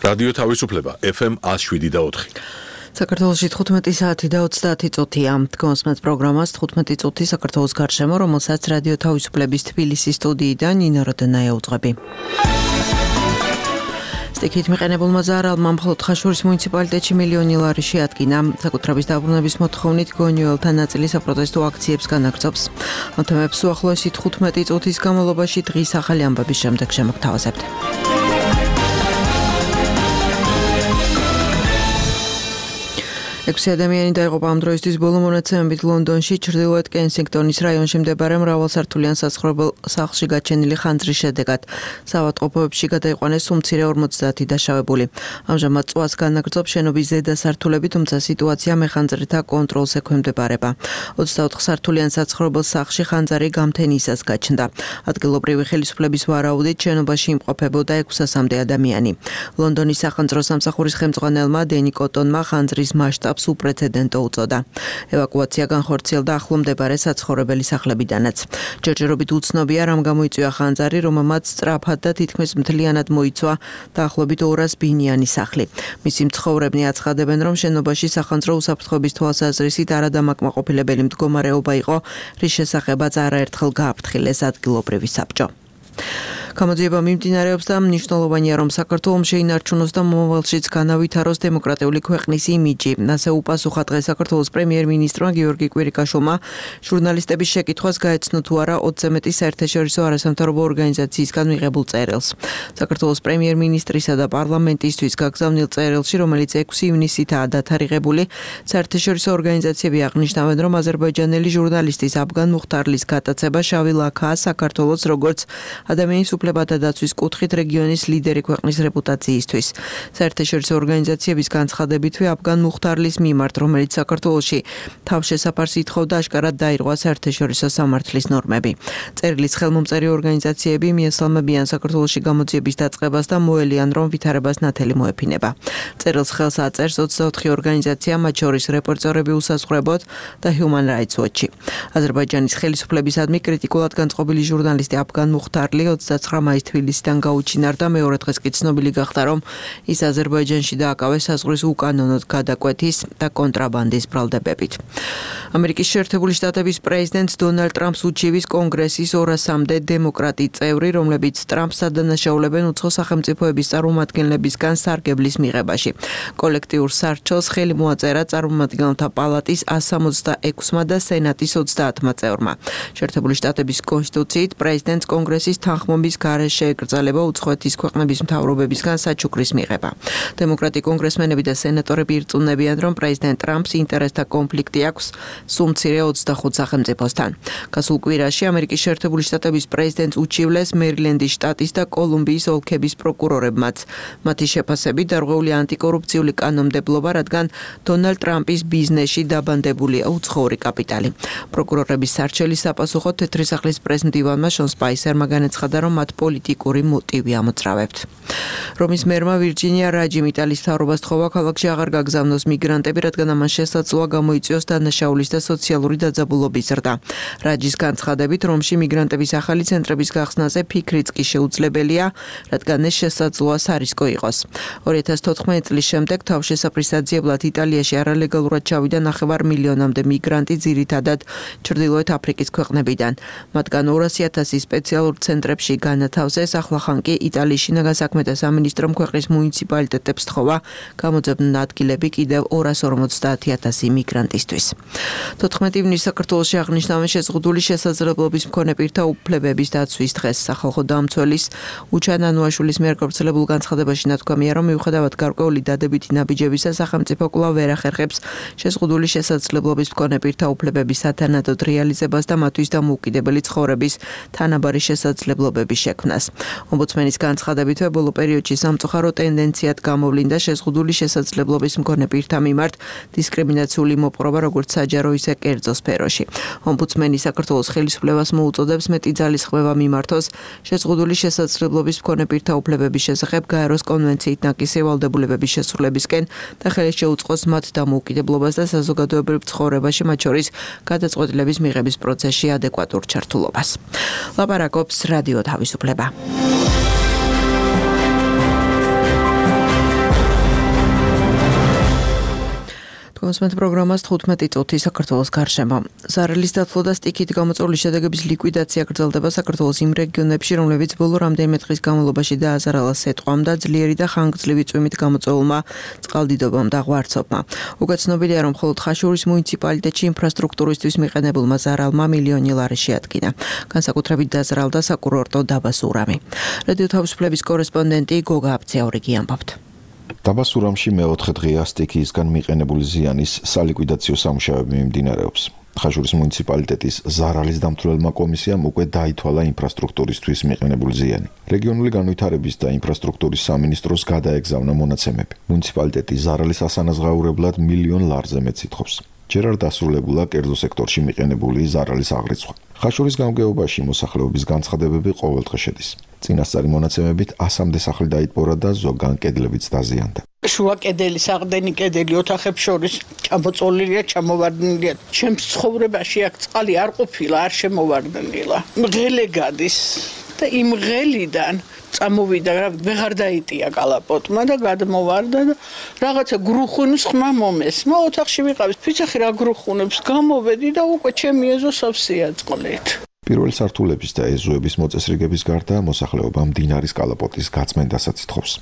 რადიო თავისუფლება FM 107.4. საქართველოში 15 საათი და 30 წუთია. დგომსმეთ პროგრამას 15 წუთი საქართველოს გარშემო, რომელსაც რადიო თავისუფლების თბილისის სტუდიიდან ნინო როდენაია უძღვები. სტიქით მიყენებულმა ზარალმა მხოლოდ ხაშურის მუნიციპალიტეტში მილიონი ლარი შეადგინა. საკუთრების დაბრუნების მოთხოვნით გონიოელთა ნაწილი საპროტესტო აქციებს განაგრძობს. ამ თემებს უახლოესი 15 წუთის განმავლობაში დღის ახალი ამბების შემდეგ შემოგთავაზებთ. 6 ადამიანი დაიღუპა ამ დროისთვის ბოლო მონაცემებით ლონდონში, ჩრდილოეთ კენსინგტონის რაიონში მდებარე მრავალსართულიან საცხოვრებელ სახლში გაჩენილი ხანძრის შედეგად. საავადმყოფოებში გადაიყვანეს უმცირე 50 დაშავებული. ამჟამად წვას განაგრძობს შენობის ზედა სართულები, თუმცა სიტუაცია მეხანძრეთა კონტროლს ექვემდებარება. 24 სართულიან საცხოვრებელ სახლში ხანძარი გამთენისას გაჩნდა. ადგილობრივი ხელისუფლების ვარაუდით შენობაში იმყოფებოდა 600-მდე ადამიანი. ლონდონის სახანძრო სამსახურის ხელმძღვანელმა დენი კოტონმა ხანძრის მასშტაბს უპრეცედენტო უწოდა. ევაკუაცია განხორციელდა ახლო მდებარე საცხოვრებელი სახლებიდანაც. ჯერჯერობით უცნობია, რამ გამოიწვია ხანძარი, რომელმაც სწრაფად და თითქმის მთლიანად მოიცვა დაახლოებით 200 ბინიანი სახლი. მისი მცხოვრებნი აცხადებენ, რომ შენობაში სახანძრო უსაფრთხოების თვალსაზრისით არადამაკმაყოფილებელი მდგომარეობა იყო, რის შესახებაც არაერთხელ გააფრთხილეს ადგილობრივი საბჭო. გამოძიება მიმდინარეობს და მნიშვნელოვანია, რომ საქართველოს შეინარჩუნოს და მომავალშიც განავითაროს დემოკრატიული ქვეყნის იმიჯი. ასე უპასუხა დღეს საქართველოს პრემიერ-მინისტრმა გიორგი კვირიკაშვილმა ჟურნალისტების შეკითხვას გაეცნო თუ არა 20-ზე მეტი საერთაშორისო არასამთავრობო ორგანიზაციისგან მიღებულ წერილს. საქართველოს პრემიერ-მინისტრისა და პარლამენტისთვის გაგზავნილ წერილში, რომელიც 6 ივნისითაა დათარიღებული, საერთაშორისო ორგანიზაციები აღნიშნავენ, რომ აზერბაიჯანელი ჟურნალისტის აბგან მუხტარლის გატაცება შავი ლაქაა საქართველოს როგორც ადამიანის უფლებათა დაცვის კუთხით რეგიონის ლიდერი ქვეყნის რეპუტაციისთვის. საერთაშორისო ორგანიზაციების განცხადებითვე აბგან მუხტარლის მიმართ, რომელიც საქართველოში თავშესაფარს ითხოვდა, აშკარად დაირღვა საერთაშორისო სამართლის ნორმები. წერილის ხელმომწერი ორგანიზაციები მიესალმებიან საქართველოში გამოძიების დაწყებას და მოელიან, რომ ვითარებას ნათელი მოეფინება. წერილს ხელს აწერს 24 ორგანიზაცია, მათ შორის რეპორტერები უსაზღვრებოდ და Human Rights Watch-ი. აზერბაიჯანის ხელისუფლებისადმი კრიტიკულად განწყობილი ჟურნალისტი აბგან მუხტარლი 29 მაის თბილისიდან გაუჩინარდა. მეორე დღეს კი ცნობილი გახდა, რომ ის აზერბაიჯანში დააკავეს საზღვრის უკანონოდ გადაკვეთის და კონტრაბანდის ბრალდებებით. ამერიკის შეერთებული შტატების პრეზიდენტს დონალდ ტრამპს უჩივის კონგრესის 200-მდე დემოკრატი წევრი, რომლებიც ტრამპს ადანაშაულებენ უცხო სახელმწიფოების წარმომადგენლებისგან სარგებლის მიღებაში. კოლექტიურ სარჩელს ხელი მოაწერა წარმომადგენელთა პალატის 166-მა და სენატის 30-მა წევრმა. შეერთებული შტატების კონსტიტუციით პრეზიდენტს კონგრესის თანხმობის გარეშე ეკრძალება უცხოეთის ქვეყნების მთავრობებისგან საჩუქრის მიღება. დემოკრატი კონგრესმენები და სენატორები ირწმუნებიან, რომ პრეზიდენტ ტრამპს ინტერესთა კონფლიქტი აქვს სულ მცირე 25 სახელმწიფოსთან. გასულ კვირაში ამერიკის შეერთებული შტატების პრეზიდენტს უჩივლეს მერილენდის შტატის და კოლუმბიის ოლქების პროკურორებმაც. მათი შეფასებით დარღვეული ანტიკორუფციული კანონმდებლობა, რადგან დონალდ ტრამპის ბიზნესში დაბანდებულია უცხოური კაპიტალი. პროკურორების სარჩელის საპასუხოდ თეთრი სახლის პრეზ-მდივანმა შონ სპაისერმა განაცხადა, რომ მათ პოლიტიკური მოტივი ამოწრავებთ. რომის მერმა ვირჯინია რაჯიმ იტალიის მთავრობას თხოვა ქალაქში აღარ გაგზავნოს მიგრანტები, რადგან ამან შესაძლოა გამოიწვიოს დანაშაულის და სოციალური დაძაბულობის ზრდა. რაჯის განცხადებით, რომში მიგრანტების ახალი ცენტრების გახსნაზე ფიქრიც კი შეუძლებელია, რადგან ეს შესაძლოა სარისკო იყოს. 2014 წლის შემდეგ თავშესაფრის საძიებლად იტალიაში არალეგალურად ჩავიდა 9 მილიონამდე მიგრანტი, ძირითადად ჩრდილოეთ აფრიკის ქვეყნებიდან. მათგან 200,000 სპეციალურ ცენტრებში განათავსეს. ახლახან კი იტალიის შინაგან საქმეთა სამინისტრომ ქვეყნის მუნიციპალიტეტებს თხოვა გამოძებნონ ადგილები კიდევ 250,000 მიგრანტისთვის. 14 ივნისს საქართველოში აღნიშნავენ შეზღუდული შესაძლებლობის მქონე პირთა უფლებების დაცვის დღეს. სახალხო დამცველის უჩან ანუაშვილის მიერ გავრცელებულ განცხადებაში ნათქვამია, რომ მიუხედავად გარკვეული დადებითი ნაბიჯებისა, სახელმწიფო კვლავ ვერ ახერხებს შეზღუდული შესაძლებლობის მქონე პირთა უფლებების სათანადოდ რეალიზებას და მათთვის დამოუკიდებელი ცხოვრების თანაბარი შესაძლებლობების შექმნას. ომბუდსმენის განცხადებით, ბოლო პერიოდში სამწუხარო ტენდენციად გამოვლინდა შეზღუდული შესაძლებლობის მქონე პირთა მიმართ დისკრიმინაციული მოპყრობა, როგორც საჯარო, ისე კერძო სფეროში. ომბუდსმენი საქართველოს ხელისუფლებას მოუწოდებს მეტი ძალისხმევა მიმართოს შეზღუდული შესაძლებლობის მქონე პირთა უფლებების შესახებ გაეროს კონვენციით ნაკისი ვალდებულებების შესრულებისკენ და ხელი შეუწყოს მათ დამოუკიდებლობას და საზოგადოებრივ ცხოვრებაში, მათ შორის გადაწყვეტილების მიღების პროცესში ადეკვატურ ჩართულობას. ლაპარაკობს რადიო თავისუფლება. გასმენთ პროგრამას 15 წუთი საქართველოს გარშემო. ზარალის დათვლა და სტიქით გამოწვეული შედეგების ლიკვიდაცია გრძელდება საქართველოს იმ რეგიონებში, რომლებიც ბოლო რამდენიმე დღის განმავლობაში დააზარალა სეტყვამ და ძლიერი და ხანგრძლივი წვიმით გამოწვეულმა წყალდიდობამ და ღვარცობმა. უკვე ცნობილია, რომ მხოლოდ ხაშურის მუნიციპალიტეტში ინფრასტრუქტურისთვის მიყენებულმა ზარალმა მილიონი ლარი შეადგინა. განსაკუთრებით დაზარალდა საკურორტო დაბა სურამი. რადიო თავისუფლების კორესპონდენტი გოგა აბცეაურიგი ამბობთ. დაბა სურამში მეოთხე დღეა სტიქიისგან მიყენებული ზიანის სალიკვიდაციო სამუშაოები მიმდინარეობს. ხაშურის მუნიციპალიტეტის ზარალის დამცველმა კომისიამ უკვე დაითვალა ინფრასტრუქტურისთვის მიყენებული ზიანი. რეგიონული განვითარების და ინფრასტრუქტურის სამინისტროს გადაეგზავნა მონაცემები. მუნიციპალიტეტი ზარალის ასანაზღაურებლად მილიონ ლარზე მეტს ითხოვს. ჯერ არ დასრულებულა კერძო სექტორში მიყენებული ზარალის აღრიცხვა. ხაშურის გამგეობაში მოსახლეობის განცხადებები ყოველდღე შედის. წინასწარი მონაცემებით 100-მდე სახლი დაიტბორა და ზოგან კედლებიც დაზიანდა. შუა კედელი, საყრდენი კედელი ოთახებს შორის ჩამოწოლილია, ჩამოვარდნილია. ჩემს ცხოვრებაში აქ წყალი არ ყოფილა, არ შემოვარდნილა. მღელე გადის და იმ მღელიდან წამოვიდა, ვეღარ დაიტია კალაპოტმა და გადმოვარდა და რაღაცა გრუხუნის ხმა მომესმა. ოთახში ვიყავით, ფიცახი რა გრუხუნებს, გამოვედი და უკვე ჩემი ეზო სავსეა წყლით. პირველი სართულების და ეზოების მოწესრიგების გარდა მოსახლეობა მდინარის კალაპოტის გაწმენდასაც ითხოვს.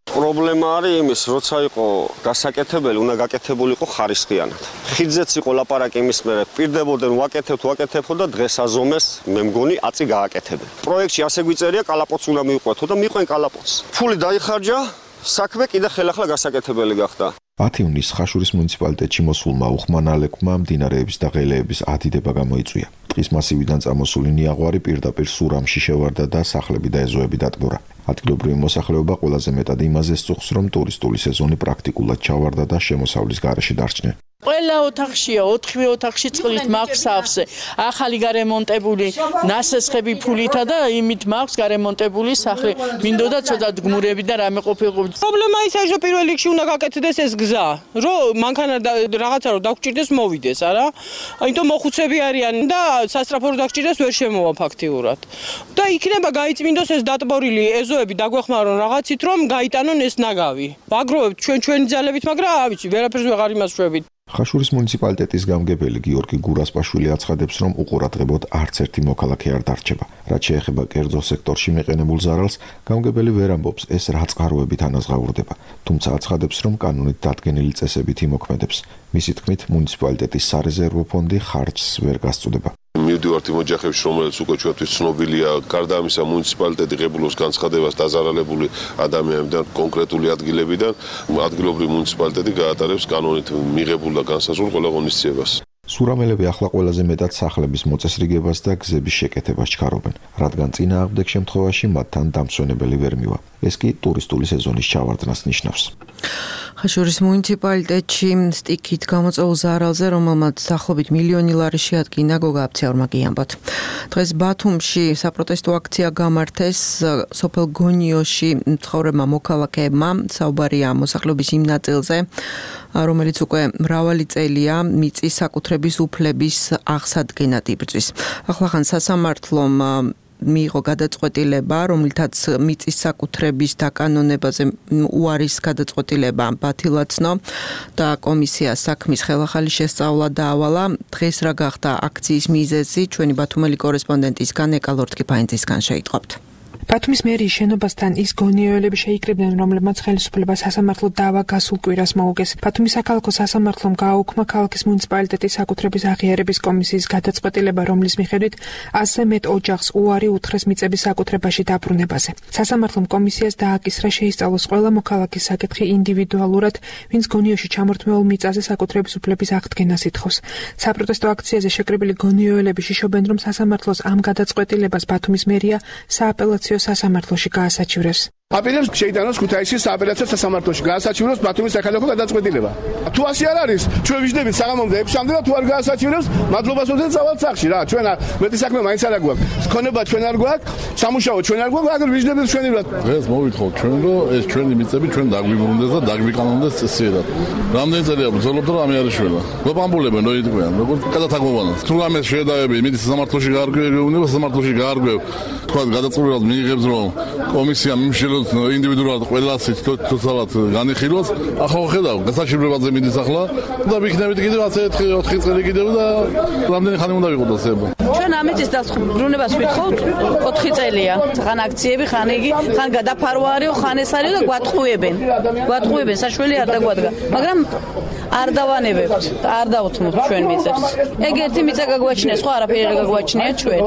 პრობლემა არის იმის, როცა იყო გასაკეთებელი, უნდა გაკეთებულიყო ხარისხიანად. ხიდზეც იყო ლაპარაკი იმის მერე, პირდებოდნენ ვაკეთებთ და დღეს აზომეს, მე მგონი აწი გააკეთებენ. პროექტში ასე გვიწერია, კალაპოტს უნდა მიუყვეთო და მიყვენ კალაპოტს. ფული დაიხარჯა, საქმე კიდე ხელახლა გასაკეთებელი გახდა. 10 ივნისს ხაშურის მუნიციპალიტეტში მოსულმა უხმანალებმა მდინარეების და ღელეების ადიდება გამოიწვია. ტყის მასივიდან წამოსული ნიაღვარი პირდაპირ სურამში შევარდა და სახლები და ეზოები დატბორა. ადგილობრივი მოსახლეობა ყველაზე მეტად იმაზე სწუხს, რომ ტურისტული სეზონი პრაქტიკულად ჩავარდა და შემოსავლის გარეშე დარჩნენ. ყველა ოთახშია, 4-ვე ოთახში წყლით მაქვს სავსე. ახალი გარემონტებული ნასესხები ფულითა და იმით მაქვს გარემონტებული სახლი. მინდოდა ცოტა გმურები და რამე ყოფილიყო. პრობლემა ისაა, რომ პირველ რიგში უნდა გაკეთდეს ეს გზა, რომ მანქანა რაღაცა რომ დაგჭირდეს მოვიდეს, არა? აინტო მოხუცები არიან და სასტრაფო რომ დაგჭირდეს ვერ შემოვა ფაქტიურად. და იქნება გაიწმინდოს ეს დატბორილი ეზოები დაგვეხმარონ რაღაცით, რომ გაიტანონ ეს ნაგავი. ვაგროვებთ ჩვენი ძალებით, მაგრამ რა ვიცი, ვერაფერს ვეღარ იმასშვებით. ხაშურის მუნიციპალიტეტის გამგებელი გიორგი გურასპაშვილი აცხადებს, რომ უყურადღებოდ არც ერთი მოქალაქე არ დარჩება. რაც შეეხება კერძო სექტორში მიყენებულ ზარალს, გამგებელი ვერ ამბობს, ეს რა წყაროებით ანაზღაურდება, თუმცა აცხადებს, რომ კანონით დადგენილი წესებით იმოქმედებს. მისი თქმით, მუნიციპალიტეტის სარეზერვო ფონდი ხარჯს ვერ გასწუდება. მივდივართ იმ ოჯახებში, რომელიც უკვე ჩვენთვის ცნობილია, გარდა ამისა მუნიციპალიტეტი ღებულობს განცხადებას დაზარალებული ადამიანებიდან, კონკრეტული ადგილებიდან, ადგილობრივი მუნიციპალიტეტი გაატარებს კანონით მიღებულ და განსაზღვრულ ყველა ღონისძიებას. სურამელები ახლა ყველაზე მეტად სახლების მოწესრიგებას და გზების შეკეთებას ჩქარობენ, რადგან წინააღმდეგ შემთხვევაში მათთან დამსვენებელი ვერ მივა. ეს კი ტურისტული სეზონის ჩავარდნას ნიშნავს. ხაშურის მუნიციპალიტეტში სტიქით გამოწვეულ ზარალზე, რომელმაც დაახლოებით მილიონი ლარი შეადგინა, გოგა აბცეაურმა გიამბოთ. დღეს ბათუმში საპროტესტო აქცია გამართეს სოფელ გონიოში მცხოვრებმა მოქალაქეებმა. საუბარია მოსახლეობის იმ ნაწილზე, რომელიც უკვე მრავალი წელია მიწის საკუთრების უფლების აღსადგენად იბრძვის. ახლახან სასამართლომ მიიღო გადაწყვეტილება, რომელთაც მიწის საკუთრების დაკანონებაზე უარის გადაწყვეტილება ბათილაცნო და კომისია საქმის ხელახალი შესწავლა დაავალა. დღეს რა გახდა აქციის მიზეზი, ჩვენი ბათუმელი კორესპონდენტისგან ეკალორტკიფაინძისგან შეიტყობთ. ბათუმის მერიის შენობასთან ის გონიოელები შეიკრიბნენ, რომლებმაც ხელისუფლება სასამართლო დავა გასულ კვირას მოუგეს. ბათუმის საქალაქო სასამართლომ გააუქმა ქალაქის მუნიციპალიტეტის საკუთრების აღიარების კომისიის გადაწყვეტილება, რომლის მიხედვით 100-ზე მეტ ოჯახს უარი უთხრეს მიწების საკუთრებაში დაბრუნებაზე. სასამართლომ კომისიას დააკისრა შეისწავლოს ყველა მოქალაქის საკითხი ინდივიდუალურად, ვინც გონიოში ჩამორთმეულ მიწაზე საკუთრების უფლების აღდგენას ითხოვს. საპროტესტო აქციაზე შეკრებილი გონიოელები შიშობენ, რომ სასამართლოს ამ გადაწყვეტილებას ბათუმის მერია სააპელაციო სასამართლოში გაასაჩივრებს. აპირებს შეიტანოს ქუთაისის სააპელაციო სასამართლოში გაასაჩივროს ბათუმის საქალაქო გადაწყვეტილება. თუ ასე არ არის, ჩვენ ვიждდებით საღამომდე 6-მდე და თუ არ გაასაჩივრებს, მადლობას უდეთ წავალთ სახში რა. ჩვენ მეტი საქმე მაინც არ გვაქვს. ქონება ჩვენ არ გვაქვს, სამუშაო ჩვენ არ გვაქვს, აგერ ვიждდებით ჩვენი რა. დღეს მოვითხოთ ჩვენ რომ ეს ჩვენი მიწები ჩვენ დაგვიბრუნდეს და დაგვიკანონდეს წესიერად. რამდენი წელია ბრძოლობთ რომ ამე არის შველა. გვაბამბულებენ რო იტყვიან, როგორც გადათაგვოვანოს. თუ ამეს შედაები მიდის სამართლოში გაარკვევი, უნდა სამართლოში გაარკვევ. თქვა გადაწყვეტილებას მიიღებს რომ კომისია მიმშილ რომ ინდივიდუალურად ყველას თუცავად განიხილოს, ახლა ხედავ, გასაჩივრებაზე მიდის ახლა და ვიქნებით კიდევ 4 წელი კიდევ და რამდენი ხანი უნდა ვიყოდოს ება. ჩვენ ამიტის დაბრუნებას ვითხოვთ 4 წელია. ხან აქციები, ხან იგი, ხან გადაფარვა არისო, ხან ეს არის და გვატყუებენ. საშველი არ დაგვადგა, მაგრამ არ დავანებებთ, არ დავუთმობთ ჩვენ მიწებს. ეგ ერთი მიწა გაგვაჩნია, სხვა არაფერი არ გაგვაჩნია ჩვენ.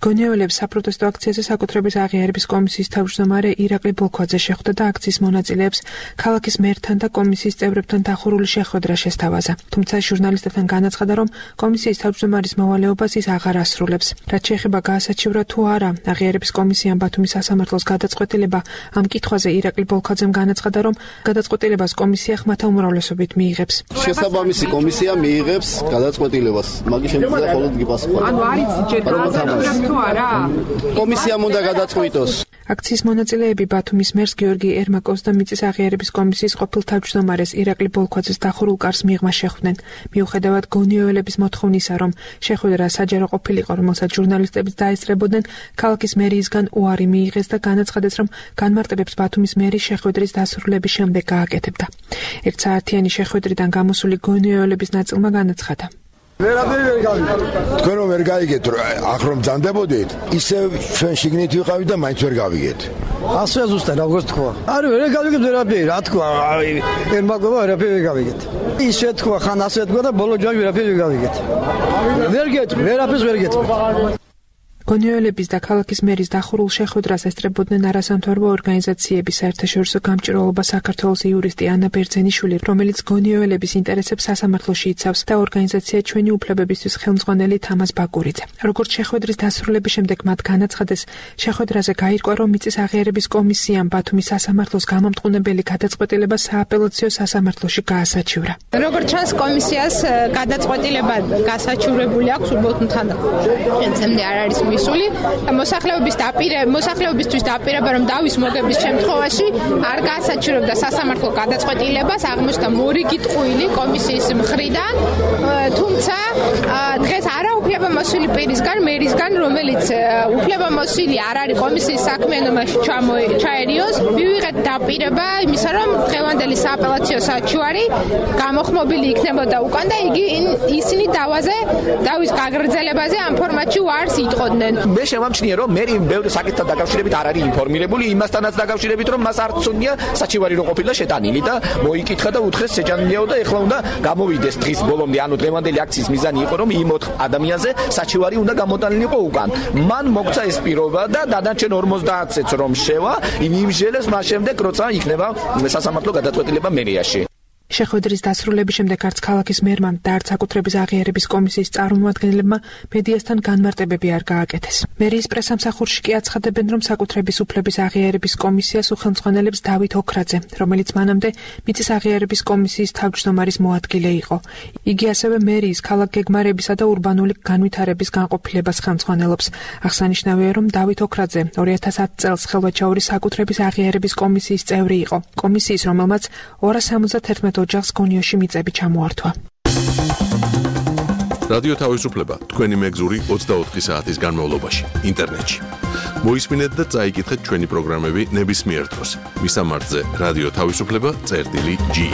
გონიოელებს საპროტესტო აქციაზე საკუთრების აღიარების კომისიის თავმჯდომარე ირაკლი ბოლქვაძე შეხვდა და აქციის მონაწილეებს ქალაქის მერთან და კომისიის წევრებთან დახურული შეხვედრა შესთავაზა. თუმცა ჟურნალისტებთან განაცხადა, რომ კომისიის თავმჯდომარის მოვალეობას ის აღარ ასრულებს. რაც შეეხება გაასაჩივრა თუ არა აღიარების კომისიამ ბათუმის სასამართლოს გადაწყვეტილება, ამ კითხვაზე ირაკლი ბოლქვაძემ განაცხადა, რომ გადაწყვეტილებას კომისია ხმათა უმრავლესობით მიიღებს. შესაბამისი კომისია მიიღებს გადაწყვეტილებას. მაგის შემდგომ მხოლოდ გიპასუხა. ანუ არის ჯეტრა კომისიამ უნდა გადაწყვიტოს. აქციის მონაწილეები ბათუმის მერს გიორგი ერმაკოვს და მიწის აღიარების კომისიის ყოფილ თავმჯდომარეს ირაკლი ბოლქვაძეს დახურულ კარს მიღმა შეხვდნენ. მიუხედავად გონიოელების მოთხოვნისა, რომ შეხვედრა საჯარო ყოფილიყო, რომელსაც ჟურნალისტებიც დაესწრებოდნენ, ქალაქის მერიისგან უარი მიიღეს და განაცხადეს, რომ განმარტებებს ბათუმის მერი შეხვედრის დასრულების შემდეგ გააკეთებდა. ერთსაათიანი შეხვედრიდან გამოსული გონიოელების ნაწილმა განაცხადა. თქვენ რომ ვერ გაიგეთ, აქ რომ ძანდებოდით, ისე ჩვენ შიგნით ვიყავით და მაინც ვერ გავიგეთ. ასე ზუსტად როგორც თქვა. არა, ვერ გავიგეთ ვერაფერი, რა თქვა, ერმაკოვა ვერაფერი ვერ გავიგეთ. ისე თქვა, ხან ასე თქვა და ბოლო ჯამში ვერაფერი ვერ გავიგეთ. ვერ გეტყვი, ვერაფერს ვერ გეტყვი. გონიოელების და ქალაქის მერის დახურულ შეხვედრას ესწრებოდნენ არასამთავრობო ორგანიზაციების საერთაშორისო გამჭირვალობა საქართველოს იურისტი ანა ბერძენიშვილი, რომელიც გონიოელების ინტერესებს სასამართლოში იცავს და ორგანიზაცია ჩვენი უფლებებისთვის ხელმძღვანელი თამაზ ბაკურიძე. როგორც შეხვედრის დასრულების შემდეგ მათ განაცხადეს, შეხვედრაზე გაირკვა, რომ მიწის აღიარების კომისიამ ბათუმის სასამართლოს გამამტყუნებელი გადაწყვეტილება სააპელაციო სასამართლოში გაასაჩივრა. როგორც ჩანს, კომისიას გადაწყვეტილება გასაჩივრებული აქვს, უბრალოდ ხელმძღვანელი არ არის მისული. მოსახლეობისთვის დაპირება, რომ დავის მოგების შემთხვევაში არ გაასაჩივრებდა სასამართლო გადაწყვეტილებას, აღმოჩნდა მორიგი ტყუილი კომისიის მხრიდან, თუმცა დღეს არა უფლებამოსილი პირისგან, მერისგან, რომელიც უფლებამოსილი არ არის კომისიის საქმიანობაში ჩაერიოს, მივიღეთ დაპირება იმისა, რომ დღევანდელი სააპელაციო საჩივარი გამოხმობილი იქნებოდა უკან და ისინი დავის გაგრძელებაზე ამ ფორმატში უარს იტყოდნენ. მე შემამჩნია, რომ მერი ბევრი საკითხთან დაკავშირებით არ არის ინფორმირებული, იმასთანაც დაკავშირებით, რომ მას არ ცუდია საჩივარი რო ყოფილა შეტანილი და მოიკითხა და უთხრეს შეჯანმრთელო და ეხლა უნდა გამოვიდეს დღის ბოლომდე, ანუ დღევანდელი აქციის მიზანი იყო, რომ იმ 4 ადამიანზე საჩივარი უნდა გამოტანილიყო უკან. მან მოგცა ეს პირობა და დანარჩენ 50-ს რომ შევა, იმჟელეს მას შემდეგ როცა იქნება სასამართლო გადაწყვეტილება მერიაში. შეხვედრის დასრულების შემდეგ არც ქალაქის მერმა და არც საკუთრების აღიარების კომისიის წარმომადგენლებმა მედიასთან განმარტებები არ გააკეთეს. მერიის პრესამსახურში კი აცხადებენ, რომ საკუთრების უფლების აღიარების კომისიას უხელმძღვანელებს დავით ოქრაძე, რომელიც მანამდე მიწის აღიარების კომისიის თავმჯდომარის მოადგილე იყო. იგი ასევე მერიის ქალაქ გეგმარებისა და ურბანული განვითარების განყოფილებას ხელმძღვანელობს. აღსანიშნავია, რომ დავით ოქრაძე 2010 წელს ხელვაჩაურის საკუთრების აღიარების კომისიის წევრი იყო. კომისიის, რომელმაც 271 ოჯახს გონიოში მიწები ჩამოართვა. რადიო თავისუფლება თქვენი მეგზური 24 საათის განმავლობაში ინტერნეტში. მოისმინეთ და წაიკითხეთ ჩვენი პროგრამები ნებისმიერ დროს. მისამართზე რადიო თავისუფლება.ge.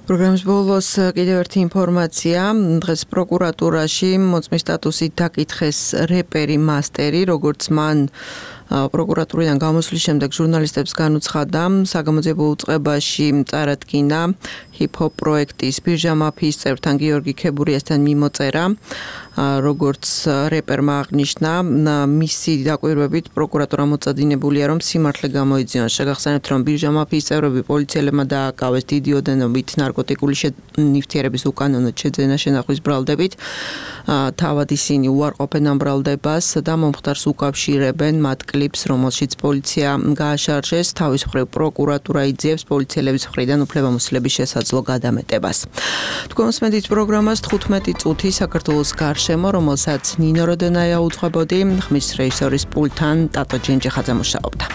პროგრამის ბოლოს კიდევ ერთი ინფორმაცია. დღეს პროკურატურაში მოწმის სტატუსით დაკითხეს რეპერი მასტერი, როგორც მან პროკურატურიდან გამოსვლის შემდეგ ჟურნალისტებს განუცხადა, საგამოძიებო უწყებაში წარადგინა ჰიპ-ჰოპ პროექტის ბირჟა მაფიის წევრთან გიორგი ქებურიასთან მიმოწერა. როგორც რეპერმა აღნიშნა, მისი დაკვირვებით პროკურატურა მოწადინებულია, რომ სიმართლე გამოიძიონ. შეგახსენებთ, რომ ბირჟა მაფიის წევრები პოლიციელებმა დააკავეს დიდი ოდენობით ნარკოტიკული ნივთიერების უკანონო შეძენა შენახვის ბრალდებით. თავად ისინი უარყოფენ ამ ბრალდებას და მომხდარს უკავშირებენ მათ კლიპს, რომელშიც პოლიცია გააშარჟეს. თავის მხრივ პროკურატურა იძიებს პოლიციელების მხრიდან უფლებამოსილების შესაძლო გადამეტებას. თქვენ მოსმენთ პროგრამას 15 წუთი საქართველოს გარშემო, რომელსაც ნინო როდენაია უძღვებოდი, ხმის რეჟისორის პულტთან ტატო ჯენჯიხაძე მუშაობდა.